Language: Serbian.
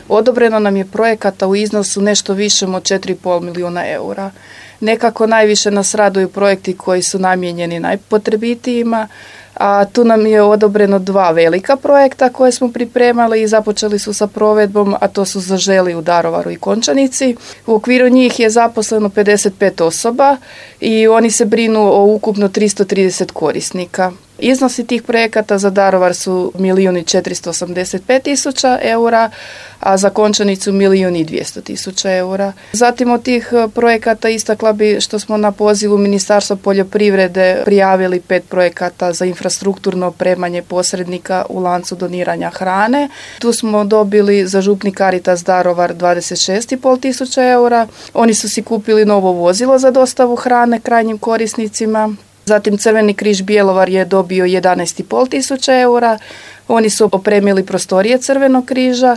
Odobreno nam je projekata u iznosu nešto višem od 4,5 milijuna eura. Nekako najviše nas raduju projekti koji su namijenjeni najpotrebitijima, a tu nam je odobreno 2 velika projekta koje smo pripremali i započeli su sa provedbom, a to su Zaželi u Daruvaru i Končanici. U okviru njih je zaposleno 55 osoba i oni se brinu o ukupno 330 korisnika. Iznosi tih projekata za Daruvar su 1.485.000 eura, a za Končanicu 1.200.000 eura. Zatim od tih projekata istakla bi što smo na pozivu Ministarstva poljoprivrede prijavili 5 projekata za infrastrukturno opremanje posrednika u lancu doniranja hrane. Tu smo dobili za Župni Caritas Daruvar 26.500 eura. Oni su si kupili novo vozilo za dostavu hrane krajnjim korisnicima. Zatim Crveni križ Bjelovar je dobio 11.500 eura. Oni su opremili prostorije Crvenog križa.